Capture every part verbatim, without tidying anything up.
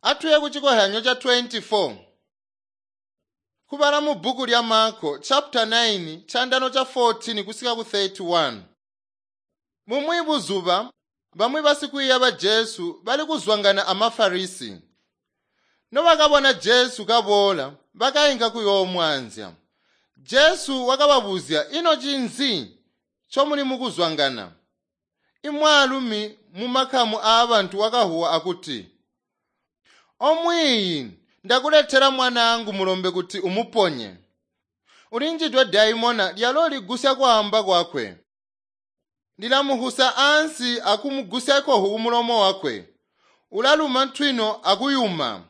Atuye ku chikohyanyo cha twenty-four. Kubala mu bhuku lya Marko chapter nine chandano cha fourteen kusika ku thirty-one. Mumwi buzuba bamwi basikwiiya ba Jesu bali kuzwangana amaFarisi. Nobakabona Jesu kaboola bakayinka kuyoomwanzya. Jesu wakababuzya, "Ino cinzi ncomuli mukuzwangana?" Imwaalumi mumakamu aabantu wakahuwa akuti, "Omwiiyi, ndakuletela mwanaangu mulombe kuti umuponye. Ulinjidwe daimona lyalo ligusya kwaamba kwakwe. Lilamuhusa ansi akumugusya kohu kumulomo wakwe. Ulaluma ntwino akuyuma.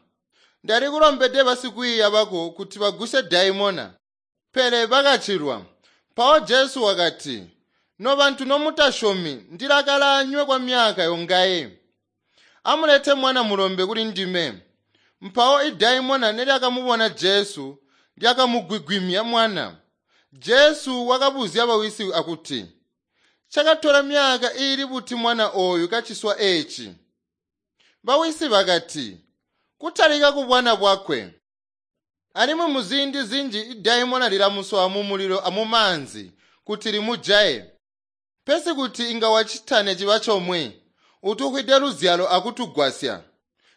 Ndalikulombede basikwiiya bako kuti bagusye daimona, pele bakachilwa." Mpawo Jesu wakati, "Nobantu nomutasyomi, ndilakala anywe kwa myaka yongaye. Amulete mwana mulombe kuli ndime." Mpawo idaimona nelyakamubona Jesu lyakamugwigwimya mwana. Jesu wakabuzya bawisi akuti, "Chakatola myaka iili buti mwana ooyu kaciswa eeci?" Bawisi bakati, "Kutalika kubwana bwakwe. Alimwi muziindi zinji idaimona lilamusowa mumulilo amumaanzi kuti limujaye. Pesi kuti inga wacitane ciba chomwe, utukwide luzyalo akutugwasya."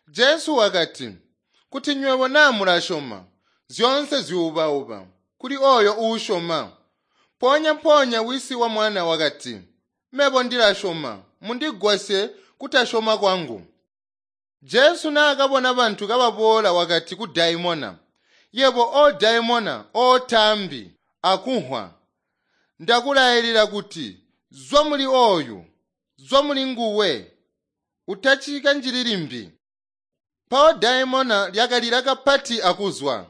Jesu wakati, "Kuti nywebo naa mulasyoma, zyoonse zyuubauba kuli oyo uusyoma." Mpoonya-mpoonya wisi wa mwana wakati, "Mebo ndilasyoma, mundigwasye kutasyoma kwangu." Jesu naakabona bantu kababoola wakati ku daimona, "Yebo o daimona ootambi akunhwa, ndakulayilila kuti zwa muli oyu, zwa muli nguwe, utacika njili limbi." Mpawo daimona lyakalila kapati akuzwa.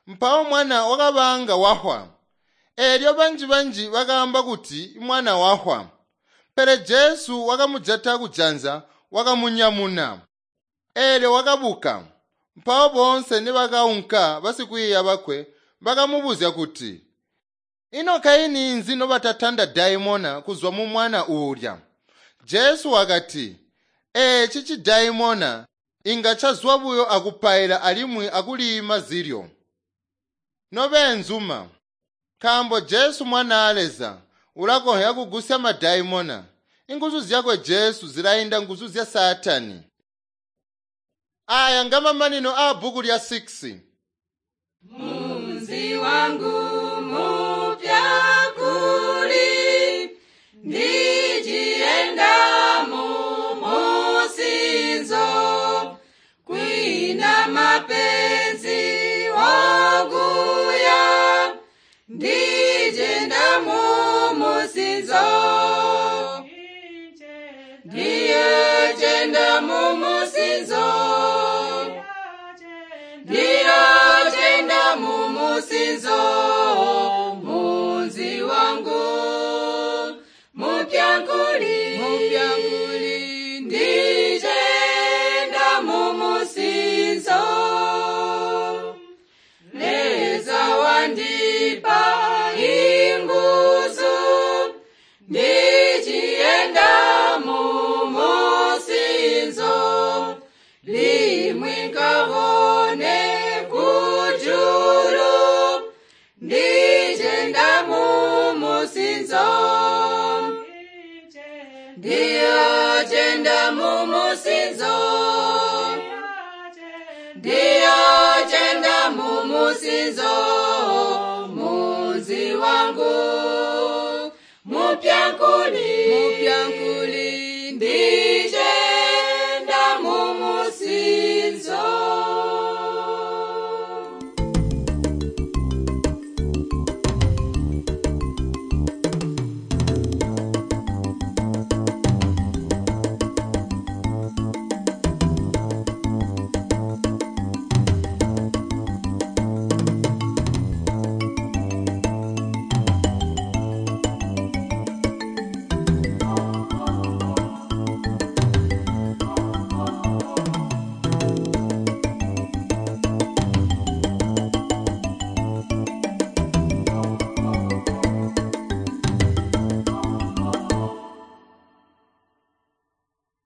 Mpawo mwana wakabanga wahwa. Eelyo banji-banji bakaamba kuti mwana wahwa. Pele Jesu wakamujata kujanza wakamunyamuna. Eelyo wakabuka. Mpawo boonse nibakaunka basikwiiya bakwe bakamubuzya kuti, "Ino kaini nzi nobatatanda daimona kuzwa mu mwana uulya?" Jesu wakati, "Eeci cidaimona inga cazwa buyo akupaila alimwi akuliima zilyo." Nobeenzuma, nkaambo Jesu Mwanaa Leza ulakonzya kugusya madaimona, inguzu zyakwe Jesu zilainda nguzu zya Saatani. Aya ngamamanino aa bhuku lya six. Munzi wangu mupya kuli ndichienda mumusinzo kwina mapenzi oguya ndijenda mumusinzo ndiyejenda mumusinzo ndiyojenda mumusinzo munzi wangu mupyankuli mupyankuli ndijenda mumusinzo Leza wandipa inguzu ndichienda mumusinzo limwi nkabone kujulu ndijenda mumusinzo ndiyojenda mumusinzo ndiyojenda mumusinzo munzi wangu mupyankuli mupyankuli ndi